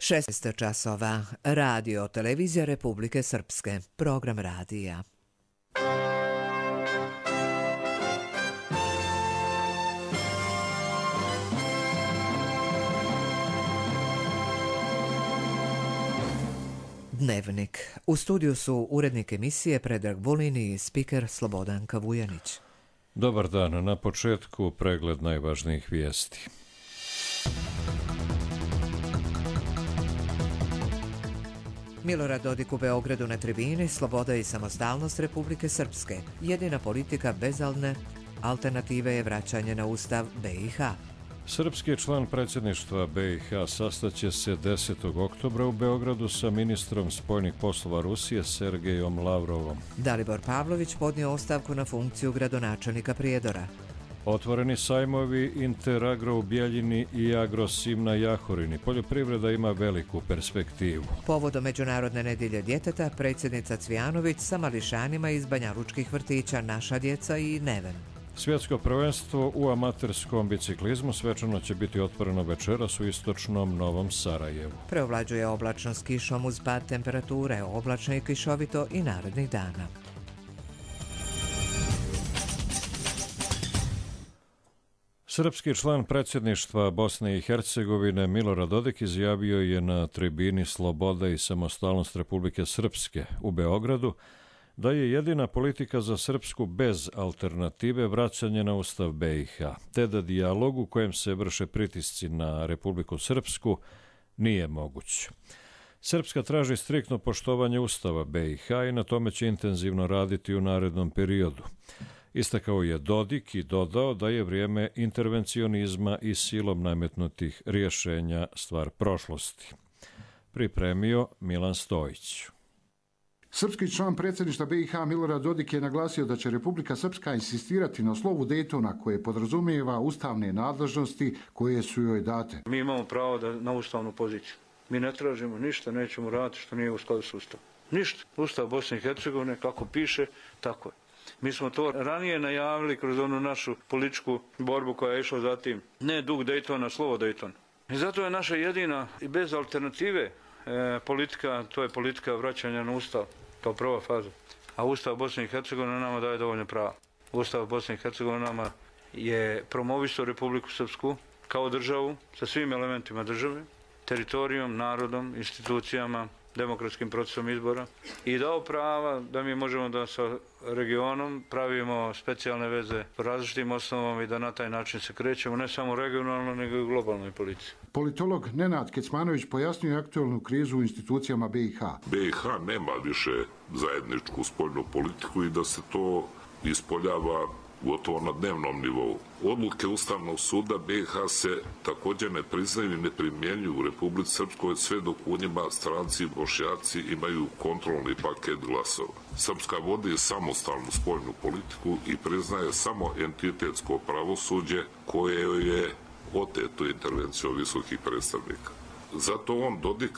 16 časova. Radio Televizija Republike Srpske. Program radija. Dnevnik. U studiju su urednik emisije Predrag Vulin i spiker Slobodanka Vujanić. Dobar dan. Na početku pregled najvažnijih vijesti. Milorad Dodik u Beogradu na tribini Sloboda i samostalnost Republike Srpske. Jedina politika bez alternative je vraćanje na Ustav BiH. Srpski član predsjedništva BiH sastaće se 10. oktobra u Beogradu sa ministrom spoljnih poslova Rusije Sergejom Lavrovom. Dalibor Pavlović podnio ostavku na funkciju gradonačelnika Prijedora. Otvoreni sajmovi Interagro u Bjeljini i Agrosim na Jahorini. Poljoprivreda ima veliku perspektivu. Povodom Međunarodne nedjelje djeteta, predsjednica Cvijanović sa mališanima iz banjalučkih vrtića Naša djeca i Neven. Svjetsko prvenstvo u amaterskom biciklizmu svečano će biti otvoreno večeras u istočnom Novom Sarajevu. Preovlađuje oblačno s kišom uz pad temperature, oblačno i kišovito i narednih dana. Srpski član predsjedništva Bosne i Hercegovine Milorad Dodik izjavio je na tribini Sloboda i samostalnost Republike Srpske u Beogradu da je jedina politika za Srpsku bez alternative vraćanje na Ustav BiH, te da dijalog u kojem se vrše pritisci na Republiku Srpsku nije moguć. Srpska traži striktno poštovanje Ustava BiH i na tome će intenzivno raditi u narednom periodu. Istakao je Dodik i dodao da je vrijeme intervencionizma i silom nametnutih rješenja stvar prošlosti. Pripremio Milan Stojić. Srpski član predsjedništva BiH Milorad Dodik je naglasio da će Republika Srpska insistirati na slovu Dejtona koje podrazumijeva ustavne nadležnosti koje su joj date. Mi imamo pravo na ustavnu poziciju. Mi ne tražimo ništa, nećemo raditi što nije u skladu s Ustavom. Ništa. Ustav Bosne i Hercegovine, kako piše, tako je. Mi smo to ranije najavili kroz onu našu političku borbu koja je išla za tim. Ne dug Dejtona, slovo Dejtona. I zato je naša jedina i bez alternative politika, to je politika vraćanja na Ustav kao prva faza. A Ustav Bosne i Hercegovine nama daje dovoljno prava. Ustav Bosne i Hercegovine nama je promovisao Republiku Srpsku kao državu sa svim elementima države, teritorijom, narodom, institucijama, demokratskim procesom izbora i dao prava da mi možemo da sa regionom pravimo specijalne veze po različitim osnovama i da na taj način se krećemo ne samo regionalno nego i u globalnoj politici. Politolog Nenad Kecmanović pojasnio aktualnu krizu u institucijama BiH. BiH nema više zajedničku spoljnu politiku i da se to ispoljava gotovo na dnevnom nivou. Odluke Ustavnog suda BiH se također ne priznaju i ne primjenjuju u Republici Srpskoj sve dok u njima stranci i Bošnjaci imaju kontrolni paket glasova. Srpska vodi samostalnu spoljnu politiku i priznaje samo entitetsko pravosuđe koje je oteto intervencijom visokih predstavnika. Zato on, Dodik,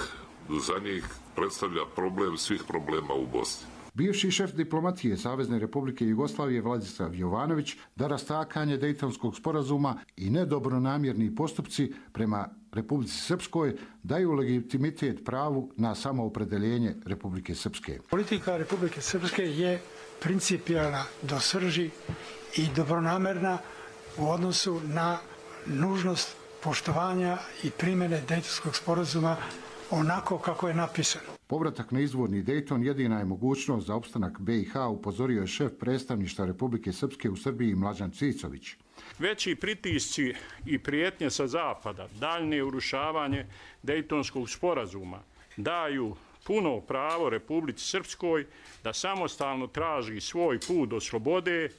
za njih predstavlja problem svih problema u Bosni. Bivši šef diplomatije Savezne Republike Jugoslavije Vladislav Jovanović da rastakanje Dejtonskog sporazuma i nedobronamjerni postupci prema Republici Srpskoj daju legitimitet pravu na samoopredeljenje Republike Srpske. Politika Republike Srpske je principijelna do srži i dobronamerna u odnosu na nužnost poštovanja i primjene Dejtonskog sporazuma onako kako je napisano. Povratak na izvorni Dejton jedina je mogućnost za opstanak BiH, upozorio je šef predstavništva Republike Srpske u Srbiji Mlađan Cicović. Veći pritisci i prijetnje sa zapada, daljnje urušavanje Dejtonskog sporazuma daju puno pravo Republici Srpskoj da samostalno traži svoj put do slobode,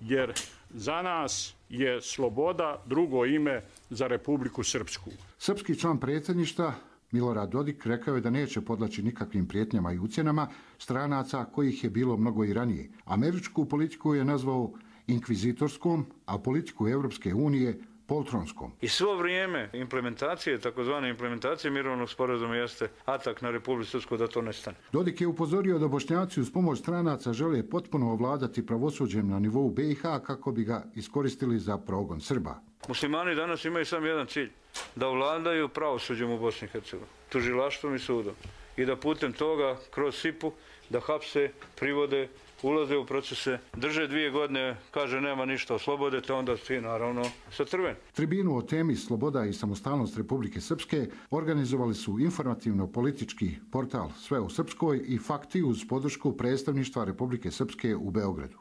jer za nas je sloboda drugo ime za Republiku Srpsku. Srpski član predsjedništva Milorad Dodik rekao je da neće podleći nikakvim prijetnjama i ucjenama stranaca kojih je bilo mnogo i ranije. Američku politiku je nazvao inkvizitorskom, a politiku Europske unije poltronskom. I svo vrijeme implementacije, takozvane implementacije mirovnog sporazuma jeste atak na Republiku Srpsku da to nestane. Dodik je upozorio da Bošnjaci uz pomoć stranaca žele potpuno ovladati pravosuđem na nivou BiH kako bi ga iskoristili za progon Srba. Muslimani danas imaju samo jedan cilj, da ovladaju pravosuđem u Bosni i Hercegovini, tužilaštvom i sudom. I da putem toga, kroz SIP-u, da hapse, privode, ulaze u procese, drže 2 godine, kaže nema ništa, oslobode te, onda svi naravno sa crven. Tribinu o temi Sloboda i samostalnost Republike Srpske organizovali su informativno-politički portal Sve u Srpskoj i Fakti uz podršku predstavništva Republike Srpske u Beogradu.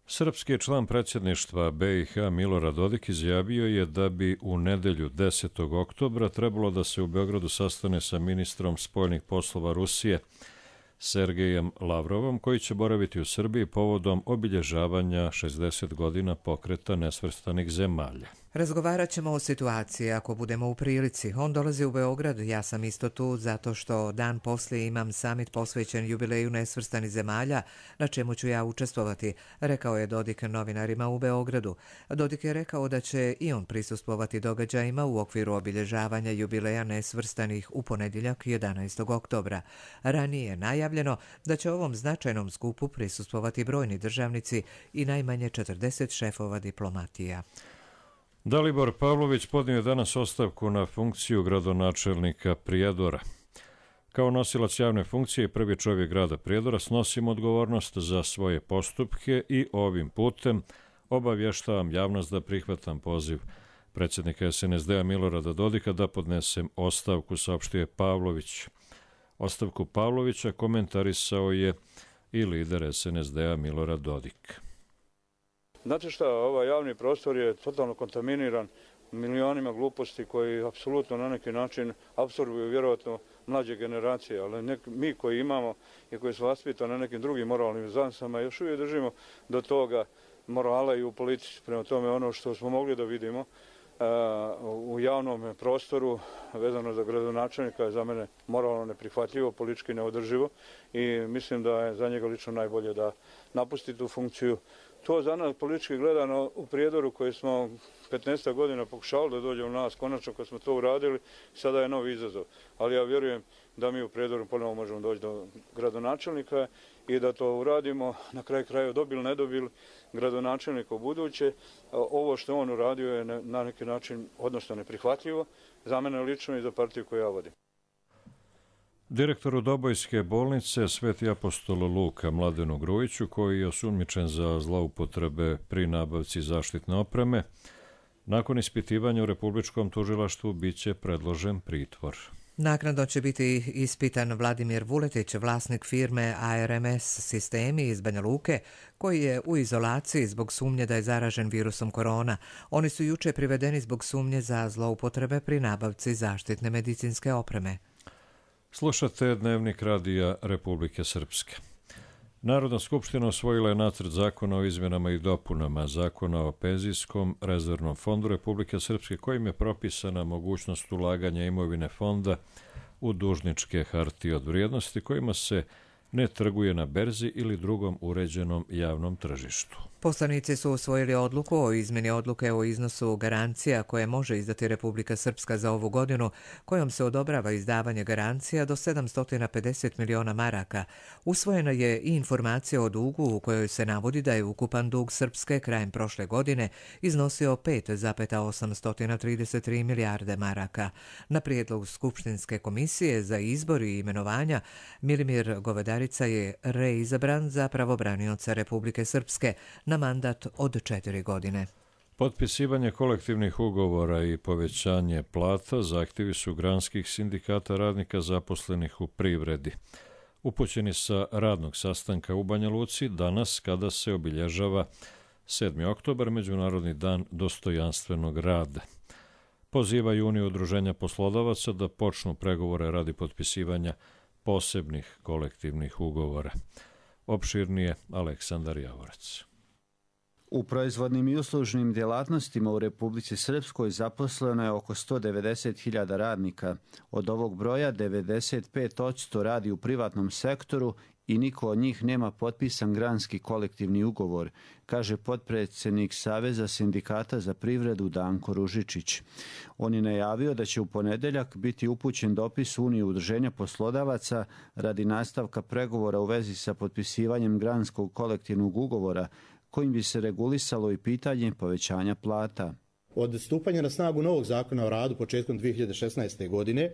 Srpski član predsjedništva BiH Milorad Dodik izjavio je da bi u nedelju 10. oktobra trebalo da se u Beogradu sastane sa ministrom spoljnih poslova Rusije Sergejem Lavrovom, koji će boraviti u Srbiji povodom obilježavanja 60 godina pokreta nesvrstanih zemalja. Razgovarat ćemo o situaciji ako budemo u prilici. On dolazi u Beograd, ja sam isto tu zato što dan poslije imam samit posvećen jubileju nesvrstanih zemalja, na čemu ću ja učestvovati, rekao je Dodik novinarima u Beogradu. Dodik je rekao da će i on prisustvovati događajima u okviru obilježavanja jubileja nesvrstanih u ponedjeljak 11. oktobra. Ranije je najavljeno da će ovom značajnom skupu prisustvovati brojni državnici i najmanje 40 šefova diplomatija. Dalibor Pavlović podnio je danas ostavku na funkciju gradonačelnika Prijedora. Kao nosilac javne funkcije i prvi čovjek grada Prijedora snosim odgovornost za svoje postupke i ovim putem obavještavam javnost da prihvatam poziv predsjednika SNSD-a Milorada Dodika da podnesem ostavku, saopštio je Pavlović. Ostavku Pavlovića komentarisao je i lider SNSD-a Milorad Dodik. Znate šta, ovaj javni prostor je totalno kontaminiran milionima gluposti koji apsolutno na neki način apsorbuju vjerojatno mlađe generacije, ali mi koji imamo i koji su vaspitani na nekim drugim moralnim uzansama još uvijek držimo do toga morala i u politici. Prema tome ono što smo mogli da vidimo u javnom prostoru vezano za gradonačelnika je za mene moralno neprihvatljivo, politički neodrživo i mislim da je za njega lično najbolje da napusti tu funkciju. To za nas politički gledano u Prijedoru koji smo 15 godina pokušali da dođe u nas, konačno kad smo to uradili, sada je novi izazov. Ali ja vjerujem da mi u Prijedoru ponovo možemo doći do gradonačelnika i da to uradimo, na kraju krajeva dobili, ne dobili gradonačelnika u buduće. Ovo što on uradio je na neki način odnosno neprihvatljivo za mene lično i za partiju koju ja vodim. Direktoru Dobojske bolnice Sveti apostol Luka Mladenu Grujiću, koji je osumnjičen za zloupotrebe pri nabavci zaštitne opreme, nakon ispitivanja u Republičkom tužilaštvu biće predložen pritvor. Naknadno će biti ispitan Vladimir Vuletić, vlasnik firme ARMS Sistemi iz Banja Luke, koji je u izolaciji zbog sumnje da je zaražen virusom korona. Oni su juče privedeni zbog sumnje za zloupotrebe pri nabavci zaštitne medicinske opreme. Slušate Dnevnik radija Republike Srpske. Narodna skupština usvojila je nacrt zakona o izmjenama i dopunama Zakona o penzijskom rezervnom fondu Republike Srpske, kojim je propisana mogućnost ulaganja imovine fonda u dužničke hartije od vrijednosti kojima se ne trguje na berzi ili drugom uređenom javnom tržištu. Poslanici su usvojili odluku o izmjeni odluke o iznosu garancija koje može izdati Republika Srpska za ovu godinu, kojom se odobrava izdavanje garancija do 750 miliona maraka. Usvojena je i informacija o dugu u kojoj se navodi da je ukupan dug Srpske krajem prošle godine iznosio 5,833 milijarde maraka. Na prijedlog Skupštinske komisije za izbor i imenovanja Milimir Govedarica je reizabran za pravobranioca Republike Srpske na mandat od 4 godine. Potpisivanje kolektivnih ugovora i povećanje plata zahtjevi su granskih sindikata radnika zaposlenih u privredi. Upućeni sa radnog sastanka u Banja Luci danas kada se obilježava 7. oktobar, Međunarodni dan dostojanstvenog rada. Pozivaju Uniju udruženja poslodavaca da počnu pregovore radi potpisivanja posebnih kolektivnih ugovora. Opširnije Aleksandar Javorac. U proizvodnim i uslužnim djelatnostima u Republici Srpskoj zaposleno je oko 190.000 radnika. Od ovog broja 95% radi u privatnom sektoru i niko od njih nema potpisan granski kolektivni ugovor, kaže potpredsjednik Saveza sindikata za privredu Danko Ružičić. On je najavio da će u ponedjeljak biti upućen dopis Unije udruženja poslodavaca radi nastavka pregovora u vezi sa potpisivanjem granskog kolektivnog ugovora, kojim bi se regulisalo i pitanje povećanja plata. Od stupanja na snagu novog zakona o radu početkom 2016. godine,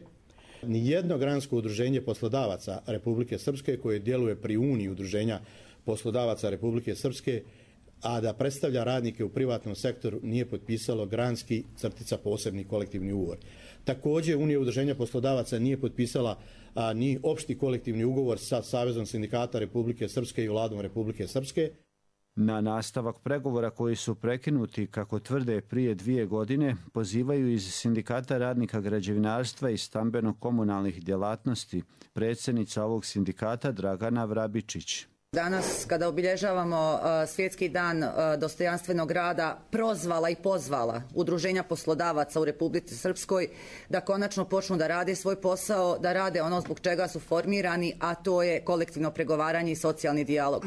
nijedno gransko udruženje poslodavaca Republike Srpske koje djeluje pri Uniji udruženja poslodavaca Republike Srpske, a da predstavlja radnike u privatnom sektoru, nije potpisalo granski posebni kolektivni ugovor. Također, Unija udruženja poslodavaca nije potpisala ni opšti kolektivni ugovor sa Savezom sindikata Republike Srpske i Vladom Republike Srpske. Na nastavak pregovora koji su prekinuti, kako tvrde, prije 2 godine, pozivaju iz Sindikata radnika građevinarstva i stambeno-komunalnih djelatnosti predsjednica ovog sindikata Dragana Vrabičić. Danas, kada obilježavamo Svjetski dan dostojanstvenog rada, prozvala i pozvala udruženja poslodavaca u Republici Srpskoj da konačno počnu da rade svoj posao, da rade ono zbog čega su formirani, a to je kolektivno pregovaranje i socijalni dijalog.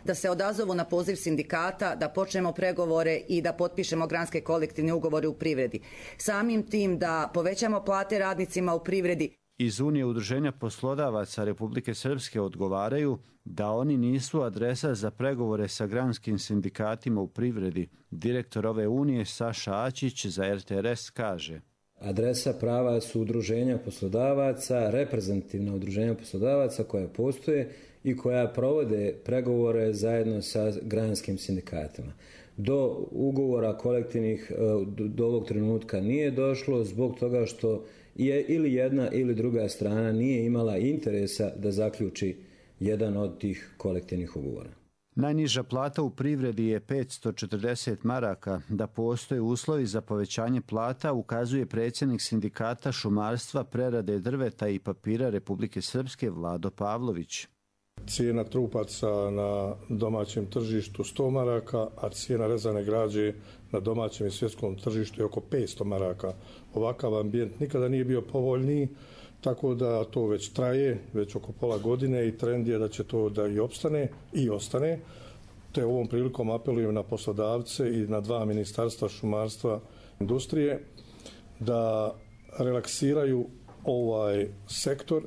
Da se odazovu na poziv sindikata, da počnemo pregovore i da potpišemo granske kolektivne ugovore u privredi. Samim tim da povećamo plate radnicima u privredi. Iz Unije udruženja poslodavaca Republike Srpske odgovaraju da oni nisu adresa za pregovore sa granskim sindikatima u privredi. Direktor ove unije Saša Ačić za RTRS kaže: Adresa prava su udruženja poslodavaca, reprezentativna udruženja poslodavaca koja postoje i koja provode pregovore zajedno sa granskim sindikatima. Do ugovora kolektivnih do ovog trenutka nije došlo zbog toga što je ili jedna ili druga strana nije imala interesa da zaključi jedan od tih kolektivnih ugovora. Najniža plata u privredi je 540 maraka. Da postoje uslovi za povećanje plata, ukazuje predsjednik sindikata šumarstva, prerade drveta i papira Republike Srpske Vlado Pavlović. Cijena trupaca na domaćem tržištu 100 maraka, a cijena rezane građe na domaćem i svjetskom tržištu je oko 500 maraka. Ovakav ambijent nikada nije bio povoljniji, tako da to već traje, već oko pola godine i trend je da će to da i opstane i ostane. Te ovom prilikom apelujem na poslodavce i na 2 ministarstva šumarstva i industrije da relaksiraju ovaj sektor.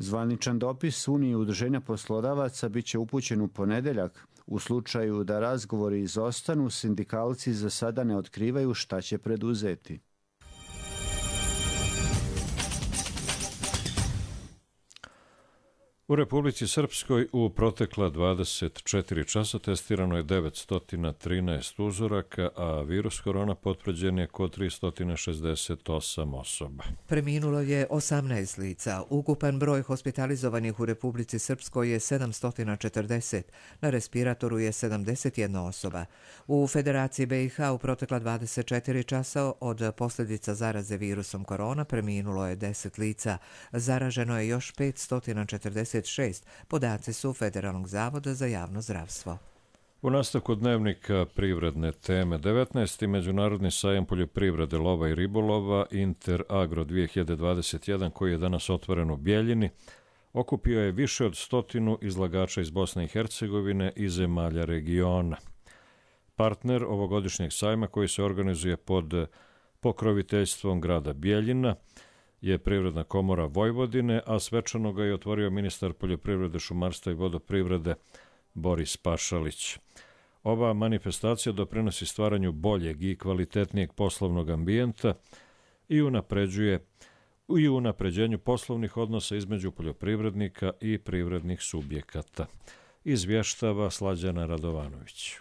Zvaničan dopis Unije udruženja poslodavaca bit će upućen u ponedjeljak. U slučaju da razgovori izostanu, sindikalci za sada ne otkrivaju šta će preduzeti. U Republici Srpskoj u protekla 24 časa testirano je 913 uzoraka, a virus korona potvrđen je kod 368 osoba. Preminulo je 18 lica. Ukupan broj hospitalizovanih u Republici Srpskoj je 740. Na respiratoru je 71 osoba. U Federaciji BiH u protekla 24 časa od posljedica zaraze virusom korona preminulo je 10 lica. Zaraženo je još 546. Podaci su Federalnog zavoda za javno zdravstvo. U nastavku dnevnika privredne teme 19. Međunarodni sajam poljoprivrede, lova i ribolova Interagro 2021 koji je danas otvoren u Bjeljini okupio je više od 100 izlagača iz Bosne i Hercegovine i zemalja regiona. Partner ovogodišnjeg sajma koji se organizuje pod pokroviteljstvom grada Bjeljina je Privredna komora Vojvodine, a svečano ga je otvorio ministar poljoprivrede, šumarstva i vodoprivrede Boris Pašalić. Ova manifestacija doprinosi stvaranju boljeg i kvalitetnijeg poslovnog ambijenta i unapređenju poslovnih odnosa između poljoprivrednika i privrednih subjekata. Izvještava Slađana Radovanović.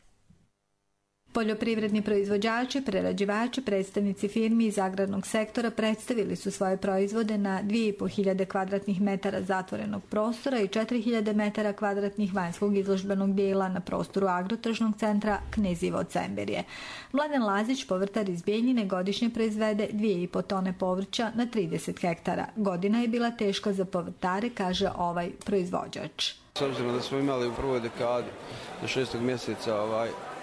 Poljoprivredni proizvođači, prerađivači, predstavnici firmi iz agrarnog sektora predstavili su svoje proizvode na 2500 kvadratnih metara zatvorenog prostora i 4000 metara kvadratnih vanjskog izložbenog dijela na prostoru agrotržnog centra Knezivo Cemberje. Mladen Lazić, povrtar iz Bijeljine, godišnje proizvede 2,5 tone povrća na 30 hektara. Godina je bila teška za povrtare, kaže ovaj proizvođač. S obzirom da smo imali u prvoj dekadi do 6. mjeseca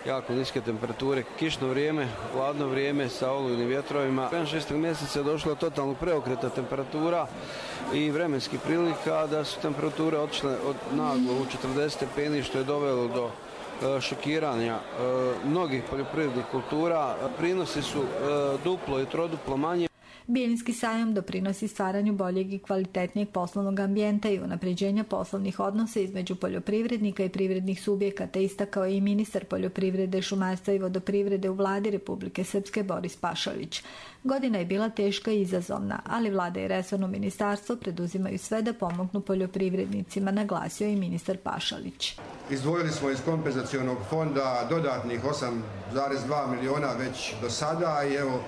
jako niske temperature, kišno vrijeme, hladno vrijeme sa olujnim vjetrovima. 5-6. mjeseca je došlo do totalnog preokreta temperatura i vremenskih prilika da su temperature otišle od naglo u 40 stepeni, što je dovelo do šokiranja mnogih poljoprivrednih kultura. Prinosi su duplo i troduplo manje. Bjeljinski sajam doprinosi stvaranju boljeg i kvalitetnijeg poslovnog ambijenta i unapređenja poslovnih odnosa između poljoprivrednika i privrednih subjekata, istakao je i ministar poljoprivrede, šumarstva i vodoprivrede u vladi Republike Srpske Boris Pašalić. Godina je bila teška i izazovna, ali vlada i resorno ministarstvo preduzimaju sve da pomognu poljoprivrednicima, naglasio je i ministar Pašalić. Izdvojili smo iz kompenzacionog fonda dodatnih 8,2 miliona već do sada i evo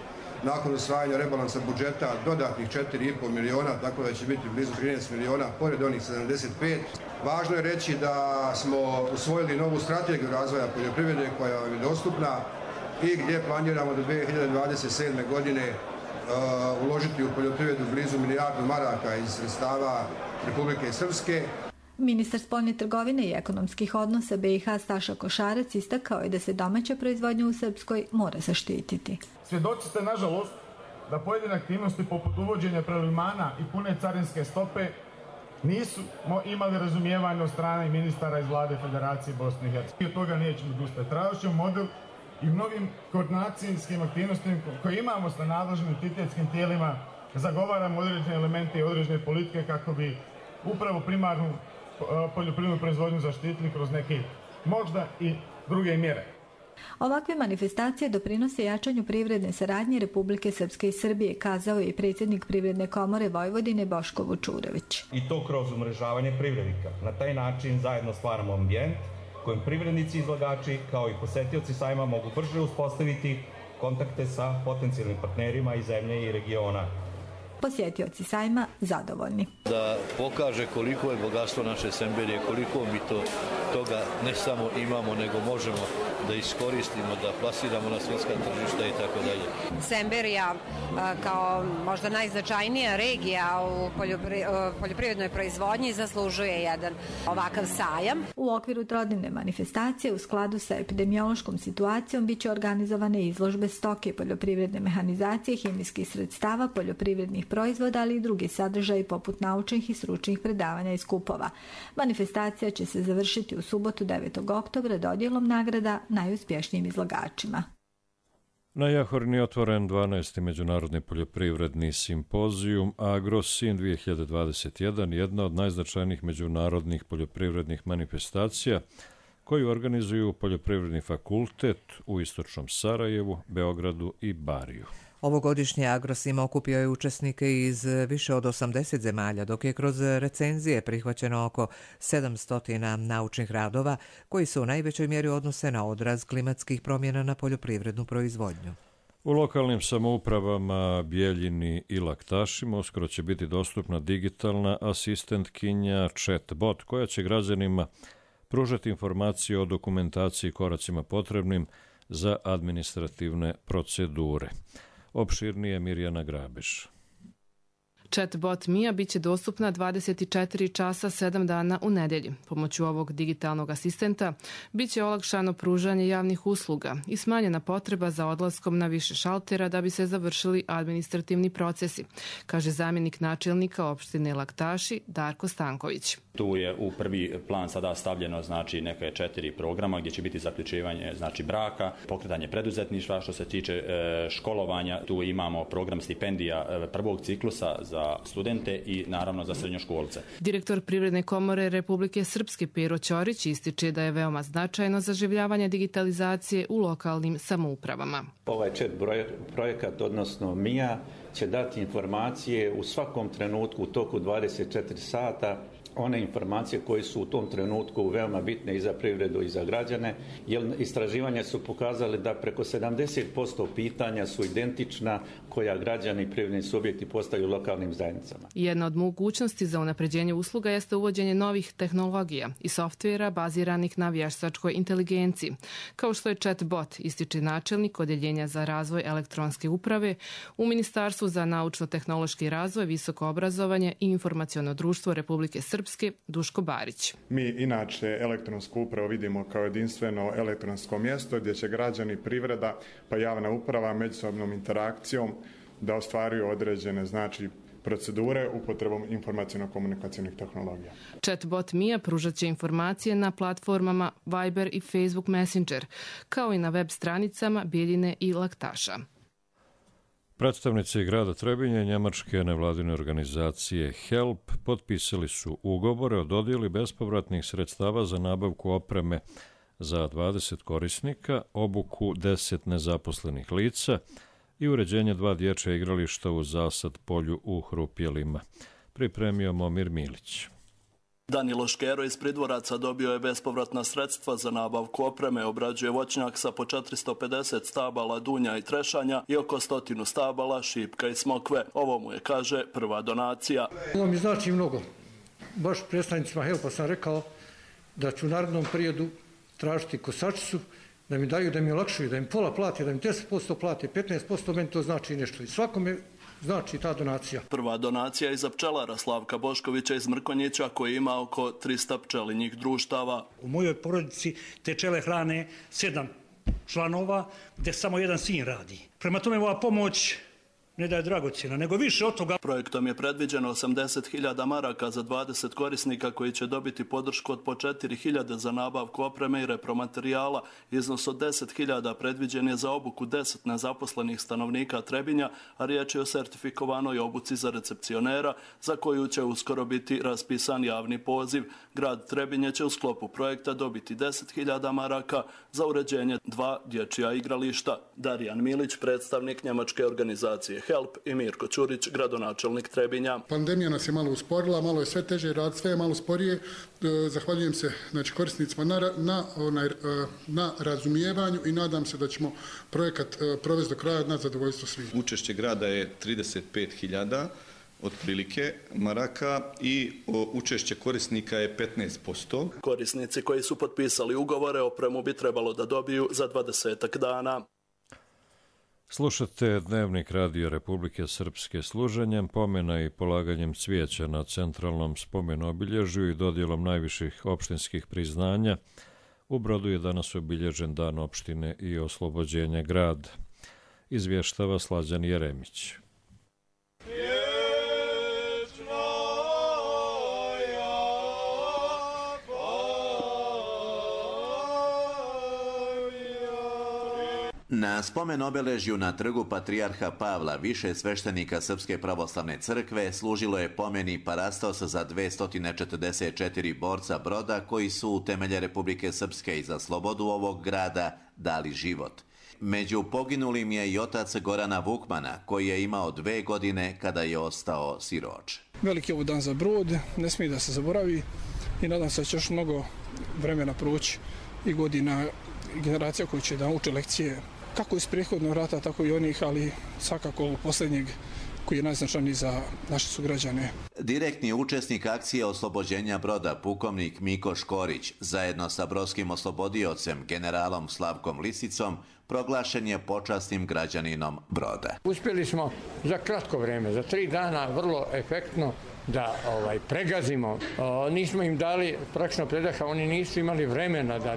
nakon usvajanja rebalansa budžeta dodatnih 4,5 miliona, tako da će biti blizu 13 miliona, pored onih 75. Važno je reći da smo usvojili novu strategiju razvoja poljoprivrede koja je dostupna i gdje planiramo do 2027. godine uložiti u poljoprivredu blizu milijardu maraka iz sredstava Republike Srpske. Ministar spoljne trgovine i ekonomskih odnosa BiH Staša Košarac istakao je da se domaća proizvodnja u Srpskoj mora zaštititi. Svjedoci ste, nažalost, da pojedine aktivnosti poput uvođenja prelivmana i pune carinske stope nisu imali razumijevanje od strane ministara iz vlade Federacije Bosne i Hercegovine. Od toga nećemo odustati. Tražit ćemo model i mnogim koordinacijskim aktivnostima koje imamo sa nadležnim entitetskim tijelima, zagovaramo određene elemente i određene politike kako bi upravo primarnu poljoprivrednu proizvodnju zaštitili kroz neke možda i druge mjere. Ovakve manifestacije doprinose jačanju privredne saradnje Republike Srpske i Srbije, kazao je i predsjednik Privredne komore Vojvodine Boško Vučurević. I to kroz umrežavanje privrednika. Na taj način zajedno stvaramo ambijent kojim privrednici i izlagači kao i posetioci sajma mogu brže uspostaviti kontakte sa potencijalnim partnerima iz zemlje i regiona. Posjetioci sajma zadovoljni. Da pokaže koliko je bogatstvo naše Semberije, koliko mi toga ne samo imamo, nego možemo da iskoristimo, da plasiramo na svjetska tržišta i tako dalje. Semberija kao možda najznačajnija regija u poljoprivrednoj proizvodnji zaslužuje jedan ovakav sajam. U okviru trodnevne manifestacije u skladu sa epidemiološkom situacijom biće organizovane izložbe stoke, poljoprivredne mehanizacije, hemijskih sredstava, poljoprivrednih proizvoda, ali i drugi sadržaji poput naučnih i stručnih predavanja i skupova. Manifestacija će se završiti u subotu 9. oktobra dodjelom nagrada najuspješnijim izlagačima. Na Jahorni je otvoren 12. međunarodni poljoprivredni simpozijum AgroSin 2021, jedna od najznačajnijih međunarodnih poljoprivrednih manifestacija koju organizuju Poljoprivredni fakultet u istočnom Sarajevu, Beogradu i Bariju. Ovogodišnji AgroSim okupio je učesnike iz više od 80 zemalja, dok je kroz recenzije prihvaćeno oko 700 naučnih radova koji se u najvećoj mjeri odnose na odraz klimatskih promjena na poljoprivrednu proizvodnju. U lokalnim samoupravama Bijeljini i Laktašima uskoro će biti dostupna digitalna asistentkinja chatbot koja će građanima pružati informacije o dokumentaciji i koracima potrebnim za administrativne procedure. Opširnije Mirjana Grabiš. Chatbot Mija biće dostupna 24 časa 7 dana u nedelji. Pomoću ovog digitalnog asistenta biće olakšano pružanje javnih usluga i smanjena potreba za odlaskom na više šaltera da bi se završili administrativni procesi, kaže zamjenik načelnika opštine Laktaši Darko Stanković. Tu je u prvi plan sada stavljeno neke 4 programa gdje će biti zaključivanje braka, pokretanje preduzetništva, što se tiče školovanja. Tu imamo program stipendija prvog ciklusa za studente i naravno za srednjoškolce. Direktor Privredne komore Republike Srpske Pero Ćorić ističe da je veoma značajno zaživljavanje digitalizacije u lokalnim samoupravama. Ovaj chat projekat, odnosno MIA, će dati informacije u svakom trenutku u toku 24 sata, one informacije koje su u tom trenutku veoma bitne i za privredu i za građane, jer istraživanja su pokazali da preko 70% pitanja su identična koja građani i privredni subjekti postavljaju lokalnim zajednicama. Jedna od mogućnosti za unapređenje usluga jeste uvođenje novih tehnologija i softvera baziranih na vještačkoj inteligenciji, kao što je chatbot, ističe načelnik Odeljenja za razvoj elektronske uprave u Ministarstvu za naučno-tehnološki razvoj, visoko obrazovanje i informaciono društvo Republike Srpske Srpske Duško Barić. Mi inače elektronsku upravu vidimo kao jedinstveno elektronsko mjesto gdje će građani, privreda pa javna uprava međusobnom interakcijom da ostvaruju određene procedure upotrebom informacijno-komunikacijnih tehnologija. Chatbot Mia pružat će informacije na platformama Viber i Facebook Messenger, kao i na web stranicama Bijeljine i Laktaša. Predstavnici grada Trebinje i njemačke nevladine organizacije HELP potpisali su ugovore o dodjeli bespovratnih sredstava za nabavku opreme za 20 korisnika, obuku 10 nezaposlenih lica i uređenje 2 dječja igrališta u Zasad polju u Hrupjelima. Pripremio Momir Milić. Danilo Škero iz Pridvoraca dobio je bespovratna sredstva za nabavku opreme, obrađuje voćnjak sa po 450 stabala dunja i trešanja i oko 100 stabala šipka i smokve. Ovo mu je, kaže, prva donacija. Ovo mi znači mnogo. Baš predstavnicima HELP-a sam rekao da ću u narednom periodu tražiti kosačicu, da mi daju, da mi olakšuju, da im pola plati, da im 10% plati, 15%, meni to znači nešto. I svakome znači ta donacija. Prva donacija je za pčelara Slavka Boškovića iz Mrkonjića koji ima oko 300 pčelinjih društava. U mojoj porodici te pčele hrane 7 članova gdje samo jedan sin radi. Prema tome ova pomoć ne da je dragocjena, nego više od toga. Projektom je predviđeno 80.000 maraka za 20 korisnika koji će dobiti podršku od po 4.000 za nabavku opreme i repromaterijala. Iznos od 10.000 predviđen je za obuku 10 nezaposlenih stanovnika Trebinja, a riječ je o sertifikovanoj obuci za recepcionera, za koju će uskoro biti raspisan javni poziv. Grad Trebinje će u sklopu projekta dobiti 10.000 maraka za uređenje 2 dječja igrališta. Darijan Milić, predstavnik njemačke organizacije HELP, i Mirko Ćurić, gradonačelnik Trebinja. Pandemija nas je malo usporila, malo je sve teže raditi, sve je malo sporije. Zahvaljujem se korisnicima na razumijevanju i nadam se da ćemo projekat provesti do kraja na zadovoljstvo svih. Učešće grada je 35.000 otprilike maraka i učešće korisnika je 15%. Korisnici koji su potpisali ugovore opremu bi trebalo da dobiju za 20 dana. Slušate Dnevnik Radio Republike Srpske služenjem, pomena i polaganjem cvijeća na centralnom spomenobilježju i dodjelom najviših opštinskih priznanja. U Brodu je danas obilježen Dan opštine i oslobođenje grada. Izvještava Slađan Jeremić. Na spomen obeležju na trgu Patrijarha Pavla više sveštenika Srpske pravoslavne crkve služilo je pomeni parastosa za 244 borca Broda koji su u temelje Republike Srpske i za slobodu ovog grada dali život. Među poginulim je i otac Gorana Vukmana koji je imao 2 godine kada je ostao siroče. Veliki je ovo dan za Brod, ne smije da se zaboravi i nadam se da će još mnogo vremena proći i godina i generacija koji će da uče lekcije kako iz prethodnog rata, tako i onih, ali svakako posljednjeg koji je najznačajniji za naše sugrađane. Direktni učesnik akcije oslobođenja Broda, pukovnik Miko Škorić, zajedno sa brodskim oslobodiocem, generalom Slavkom Lisicom, proglašen je počasnim građaninom Broda. Uspjeli smo za kratko vrijeme, za 3 dana, vrlo efektno da pregazimo. Nismo im dali praktično predaha, oni nisu imali vremena da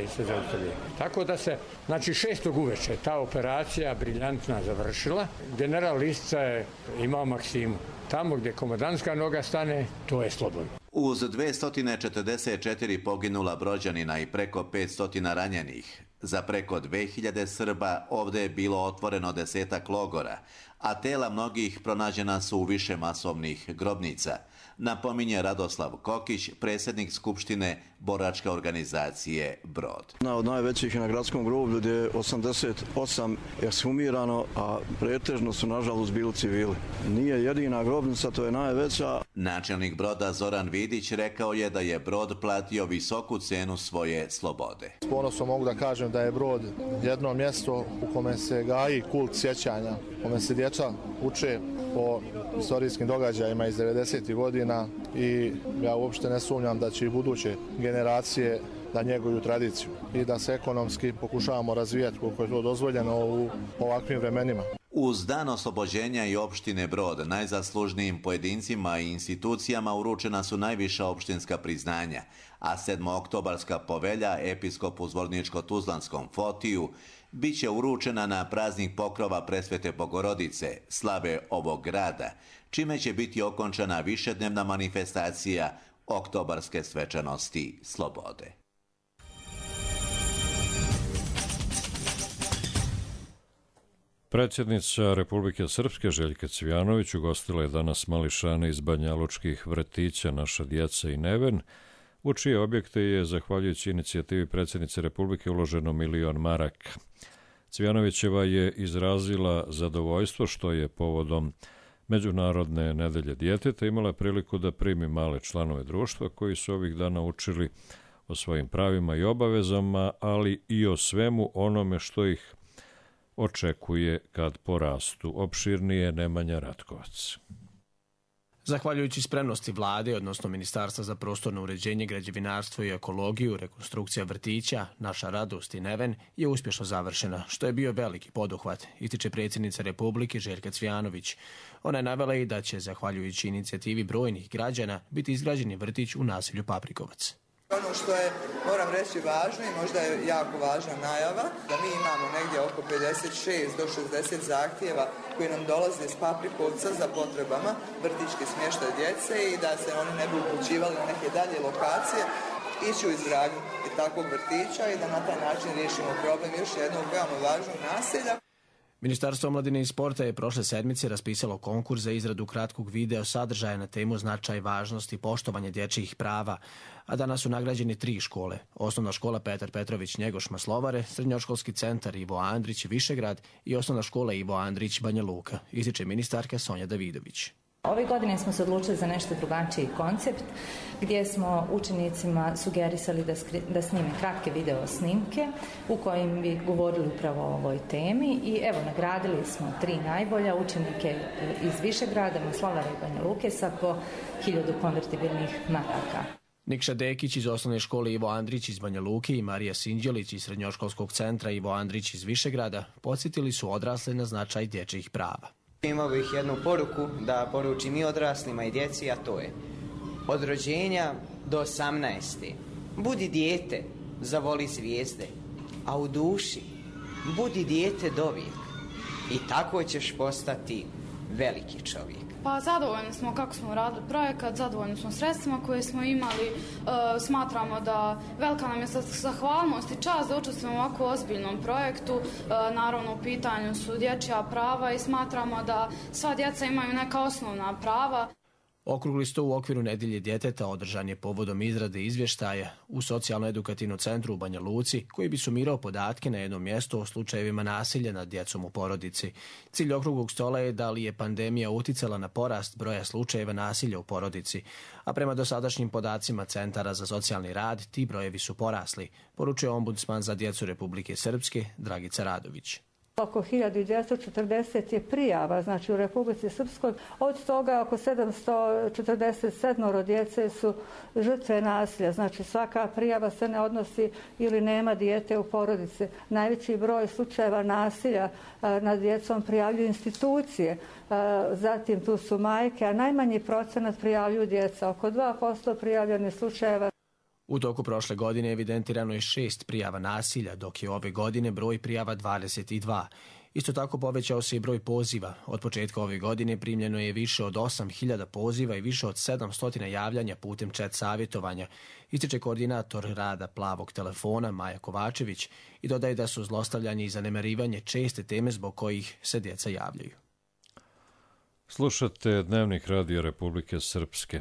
se zaustavljaju. Tako da se, 6. uveče, ta operacija briljantna završila. General Lisica je imao maksimu. Tamo gdje komandantska noga stane, to je slobodno. Uz 244 poginula Brođanina i preko 500 ranjenih, za preko 2000 Srba ovdje je bilo otvoreno 10 logora, a tela mnogih pronađena su u više masovnih grobnica, napominje Radoslav Kokić, predsjednik Skupštine boračke organizacije Brod. Jedna od najvećih na gradskom groblju gdje je 88 ekshumirano, a pretežno su nažalost bili civili. Nije jedina grobnica, to je najveća. Načelnik Broda Zoran Vidić rekao je da je Brod platio visoku cenu svoje slobode. S ponosom mogu da kažem da je Brod jedno mjesto u kome se gaji kult sjećanja, u kome se djeca uče o istorijskim događajima iz 90. godina i ja uopšte ne sumnjam da će i buduće generacije da njeguju tradiciju i da se ekonomski pokušavamo razvijati koliko je to dozvoljeno u ovakvim vremenima. Uz dan oslobođenja i opštine Brod, najzaslužnijim pojedincima i institucijama uručena su najviša opštinska priznanja, a 7-oktobarska povelja episkopu Zvorničko-Tuzlanskom Fotiju biće uručena na praznik pokrova Presvete Bogorodice, slave ovog grada, čime će biti okončana višednevna manifestacija oktobarske svečanosti slobode. Predsjednica Republike Srpske Željka Cvijanović ugostila je danas mališane iz banjalučkih vrtića Naša djeca i Neven, u čije objekte je, zahvaljujući inicijativi predsjednice Republike, uloženo 1 milion maraka. Cvijanovićeva je izrazila zadovoljstvo što je povodom Međunarodne nedelje djeteta imala priliku da primi male članove društva koji su ovih dana učili o svojim pravima i obavezama, ali i o svemu onome što ih očekuje kad porastu. Opširnije Nemanja Ratkovac. Zahvaljujući spremnosti vlade, odnosno Ministarstva za prostorno uređenje, građevinarstvo i ekologiju, rekonstrukcija vrtića, Naša radost i Neven je uspješno završena, što je bio veliki poduhvat, ističe predsjednica Republike Željka Cvijanović. Ona je navela i da će, zahvaljujući inicijativi brojnih građana, biti izgrađeni vrtić u naselju Paprikovac. Ono što je, moram reći, važno i možda je jako važna najava, da mi imamo negdje oko 56 do 60 zahtjeva koji nam dolaze iz Paprikovca za potrebama vrtićke smještaj djece i da se oni ne bi upućivali na neke dalje lokacije, ići u izgradnju takvog vrtića i da na taj način riješimo problem još jednog veoma važnog naselja. Ministarstvo omladine i sporta je prošle sedmice raspisalo konkurs za izradu kratkog video sadržaja na temu značaj, važnost i poštovanje dječjih prava, a danas su nagrađeni 3 škole. Osnovna škola Petar Petrović Njegoš Maslovare, srednjoškolski centar Ivo Andrić Višegrad i osnovna škola Ivo Andrić Banja Luka, ističe ministarka Sonja Davidović. Ove godine smo se odlučili za nešto drugačiji koncept gdje smo učenicima sugerisali da snime kratke video snimke u kojim bi govorili upravo o ovoj temi i evo nagradili smo 3 najbolja učenike iz Višegrada, Maslovara i Banja Luke sa po 1000 konvertibilnih maraka. Nikša Dekić iz osnovne škole Ivo Andrić iz Banja Luke i Marija Sinđelić iz srednjoškolskog centra Ivo Andrić iz Višegrada podsjetili su odrasle na značaj dječjih prava. Imao bih jednu poruku da poručim i odraslima i djeci, a to je od rođenja do 18. Budi dijete, zavoli zvijezde, a u duši budi dijete dovijek i tako ćeš postati veliki čovjek. Pa zadovoljni smo kako smo radili projekat, zadovoljni smo sredstvima koje smo imali, smatramo da velika nam je zahvalnost i čast da učestvujemo u ovako ozbiljnom projektu, naravno u pitanju su dječja prava i smatramo da sva djeca imaju neka osnovna prava. Okrugli sto u okviru Nedelje djeteta održan je povodom izrade izvještaja u Socijalno-edukativnom centru u Banja Luci, koji bi sumirao podatke na jednom mjestu o slučajevima nasilja nad djecom u porodici. Cilj okruglog stola je da li je pandemija uticala na porast broja slučajeva nasilja u porodici, a prema dosadašnjim podacima Centara za socijalni rad ti brojevi su porasli, poručuje ombudsman za djecu Republike Srpske Dragica Radović. Oko 1240 je prijava, znači u Republici Srpskoj, od toga oko 747 djece su žrtve nasilja, znači svaka prijava se ne odnosi ili nema dijete u porodici. Najveći broj slučajeva nasilja nad djecom prijavljuju institucije, zatim tu su majke, a najmanji procenat prijavljuju djeca, oko 2% prijavljenih slučajeva. U toku prošle godine evidentirano je 6 prijava nasilja, dok je ove godine broj prijava 22. Isto tako povećao se i broj poziva. Od početka ove godine primljeno je više od 8000 poziva i više od 700 javljanja putem chat savjetovanja, ističe koordinator rada Plavog telefona Maja Kovačević i dodaje da su zlostavljanje i zanemarivanje česte teme zbog kojih se djeca javljaju. Slušate Dnevnik Radio Republike Srpske.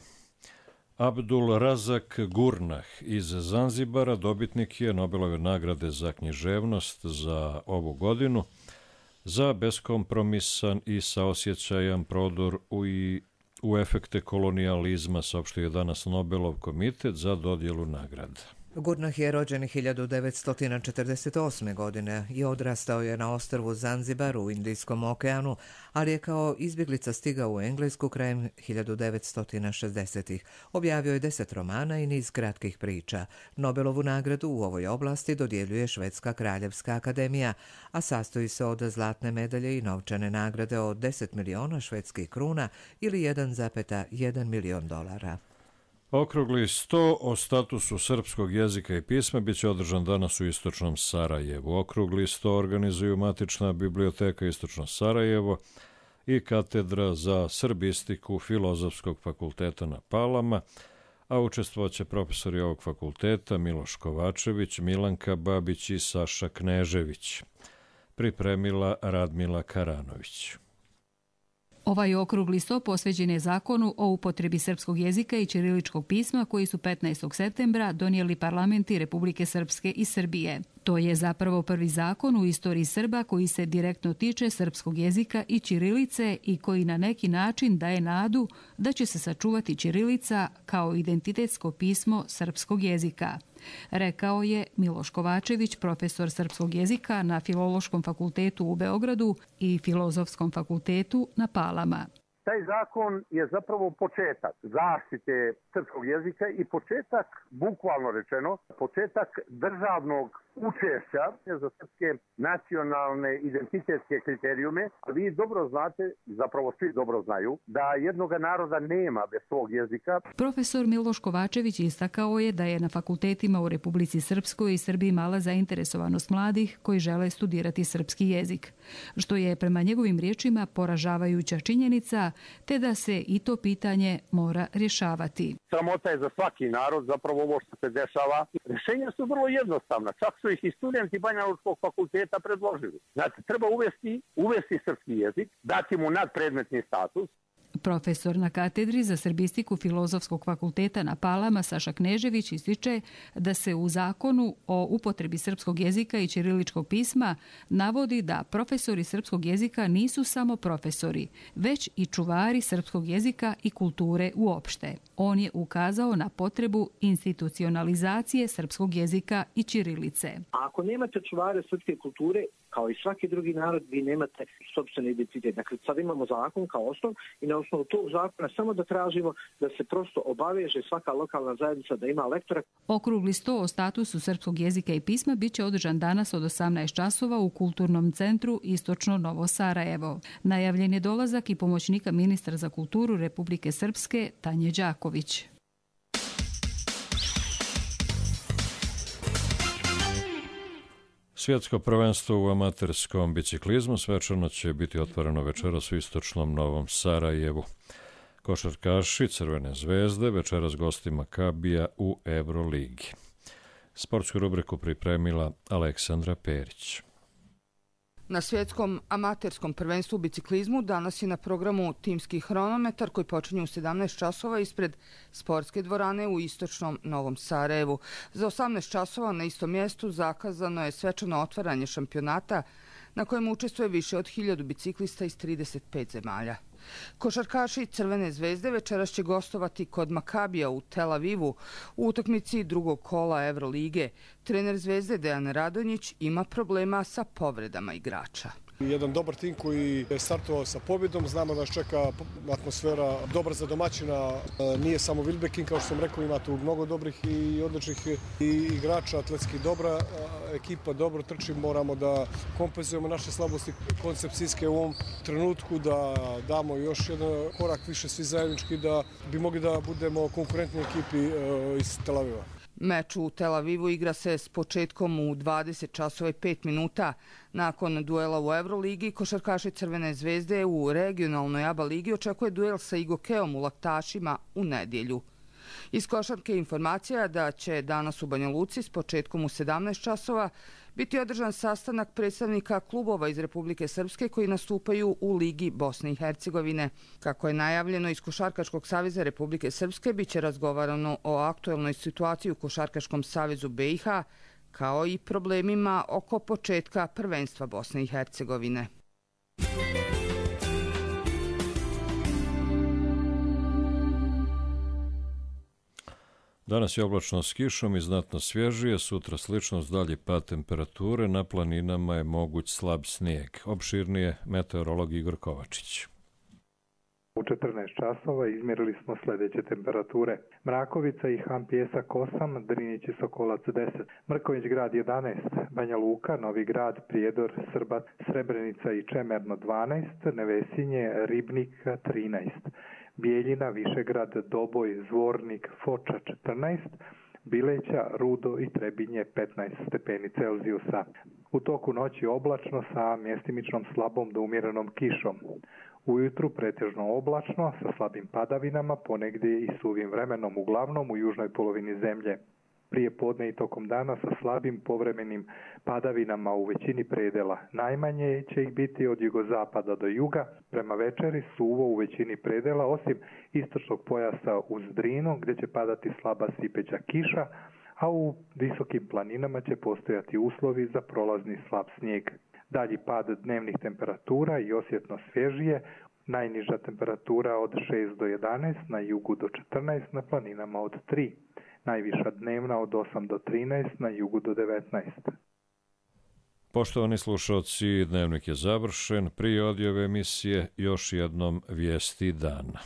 Abdul Razak Gurnah iz Zanzibara dobitnik je Nobelove nagrade za književnost za ovu godinu za beskompromisan i saosjećajan prodor u efekte kolonijalizma, saopštio je danas Nobelov komitet za dodjelu nagrada. Gurnah je rođen 1948. godine i odrastao je na ostrvu Zanzibar u Indijskom okeanu, ali je kao izbjeglica stigao u Englesku krajem 1960-ih. Objavio je 10 romana i niz kratkih priča. Nobelovu nagradu u ovoj oblasti dodjeljuje Švedska kraljevska akademija, a sastoji se od zlatne medalje i novčane nagrade od 10 miliona švedskih kruna ili 1,1 milion dolara. Okrugli 100 o statusu srpskog jezika i pisma biće održan danas u istočnom Sarajevu. Okrugli 100 organizuju Matična biblioteka Istočno Sarajevo i Katedra za srbistiku Filozofskog fakulteta na Palama, a učestvovaće profesori ovog fakulteta Miloš Kovačević, Milanka Babić i Saša Knežević. Pripremila Radmila Karanović. Ovaj okrugli sto posveđen je zakonu o upotrebi srpskog jezika i ćiriličkog pisma koji su 15. septembra donijeli parlamenti Republike Srpske i Srbije. To je zapravo prvi zakon u istoriji Srba koji se direktno tiče srpskog jezika i ćirilice i koji na neki način daje nadu da će se sačuvati ćirilica kao identitetsko pismo srpskog jezika. Rekao je Miloš Kovačević, profesor srpskog jezika na Filološkom fakultetu u Beogradu i Filozofskom fakultetu na Palama. Taj zakon je zapravo početak zaštite srpskog jezika i početak, bukvalno rečeno, početak državnog učešća za srpske nacionalne identitetske kriterijume. Vi dobro znate, zapravo svi dobro znaju, da jednoga naroda nema bez svog jezika. Profesor Miloš Kovačević istakao je da je na fakultetima u Republici Srpskoj i Srbiji mala zainteresovanost mladih koji žele studirati srpski jezik, što je prema njegovim riječima poražavajuća činjenica, te da se i to pitanje mora rješavati. Sramota je za svaki narod, zapravo ovo što se dešava. Rješenja su vrlo jednostavna, čak su ih i studenti Banjalučkog fakulteta predložili. Znači, treba uvesti srpski jezik, dati mu nadpredmetni status. Profesor na katedri za srbistiku Filozofskog fakulteta na Palama Saša Knežević ističe da se u zakonu o upotrebi srpskog jezika i ćiriličkog pisma navodi da profesori srpskog jezika nisu samo profesori, već i čuvari srpskog jezika i kulture uopšte. On je ukazao na potrebu institucionalizacije srpskog jezika i ćirilice. A ako nemate čuvare srpske kulture, kao i svaki drugi narod, vi nemate sopstveni identitet. Dakle, sad imamo zakon kao osnov i na osnovu tog zakona samo da tražimo da se prosto obaveže svaka lokalna zajednica da ima lektora. Okrugli sto o statusu srpskog jezika i pisma biće održan danas od 18 časova u Kulturnom centru Istočno Novo Sarajevo. Najavljen je dolazak i pomoćnika ministra za kulturu Republike Srpske Tanje Đaković. Svjetsko prvenstvo u amaterskom biciklizmu svečano će biti otvoreno večeras u istočnom Novom Sarajevu. Košarkaši Crvene zvezde večeras gosti Makabija u Euroligi. Sportsku rubriku pripremila Aleksandra Perić. Na svjetskom amaterskom prvenstvu u biciklizmu danas je na programu timski hronometar koji počinje u 17 časova ispred sportske dvorane u istočnom Novom Sarajevu. Za 18 časova na istom mjestu zakazano je svečano otvaranje šampionata na kojem učestvuje više od 1000 biciklista iz 35 zemalja. Košarkaši Crvene zvezde večeras će gostovati kod Makabija u Tel Avivu u utakmici drugog kola Evrolige. Trener Zvezde Dejan Radonjić ima problema sa povredama igrača. Jedan dobar tim koji je startovao sa pobjedom, znamo da nas čeka atmosfera dobra za domaćina, nije samo Wilbekin, kao što sam rekao, ima tu mnogo dobrih i odličnih igrača, atletski dobra ekipa, dobro trči, moramo da kompenzujemo naše slabosti koncepcijske u ovom trenutku, da damo još jedan korak više svi zajednički, da bi mogli da budemo konkurentni ekipi iz Tel Aviva. Meč u Tel Avivu igra se s početkom u 20 časova i 5 minuta. Nakon duela u Euroligi, košarkaši Crvene zvezde u regionalnoj ABA ligi očekuje duel sa Igokeom u Laktašima u nedjelju. Iz košarke informacija da će danas u Banja Luci s početkom u 17 časova biti održan sastanak predstavnika klubova iz Republike Srpske koji nastupaju u Ligi Bosne i Hercegovine. Kako je najavljeno iz Košarkaškog saveza Republike Srpske, biće razgovarano o aktuelnoj situaciji u Košarkaškom savezu BiH, kao i problemima oko početka prvenstva Bosne i Hercegovine. Danas je oblačno s kišom i znatno svježije, sutra slično s dalji pad temperature, na planinama je moguć slab snijeg. Opširnije meteorolog Igor Kovačić. U 14 časova izmjerili smo sljedeće temperature. Mrakovica i Han Pjesak 8, Drinić i Sokolac 10, Mrković grad 11, Banja Luka, Novi grad, Prijedor, Srbat, Srebrenica i Čemerno 12, Nevesinje, Ribnik 13, Bijeljina, Višegrad, Doboj, Zvornik, Foča 14, Bileća, Rudo i Trebinje 15 stepeni Celzijusa. U toku noći oblačno sa mjestimičnom slabom do umjerenom kišom. Ujutru pretežno oblačno sa slabim padavinama, ponegdje i suvim vremenom, uglavnom u južnoj polovini zemlje. Prije podne i tokom dana sa slabim povremenim padavinama u većini predela. Najmanje će ih biti od jugozapada do juga, prema večeri suvo u većini predela, osim istočnog pojasa uz Drinu, gdje će padati slaba sipeća kiša, a u visokim planinama će postojati uslovi za prolazni slab snijeg. Dalji pad dnevnih temperatura i osjetno svježije, najniža temperatura od 6 do 11, na jugu do 14, na planinama od 3. Najviša dnevna od 8 do 13, na jugu do 19. Poštovani slušalci, dnevnik je završen. Prije odjave emisije još jednom vijesti dana.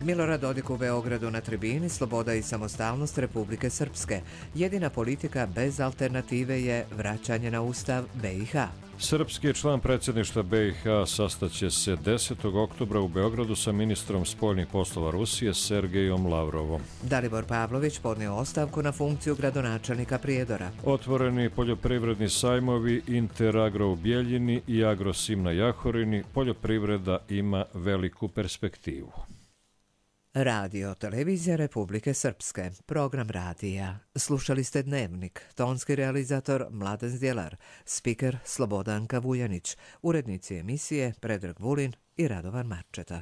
Milorad Dodik u Beogradu na tribini Sloboda i samostalnost Republike Srpske. Jedina politika bez alternative je vraćanje na ustav BiH. Srpski član predsjedništva BiH sastaće se 10. oktobra u Beogradu sa ministrom spoljnih poslova Rusije Sergejom Lavrovom. Dalibor Pavlović podnio ostavku na funkciju gradonačelnika Prijedora. Otvoreni poljoprivredni sajmovi Interagro u Bijeljini i Agrosim na Jahorini. Poljoprivreda ima veliku perspektivu. Radio Televizija Republike Srpske, program radija. Slušali ste Dnevnik, tonski realizator Mladen Zdjelar, spiker Slobodanka Vujanić, urednici emisije Predrag Vulin i Radovan Marčeta.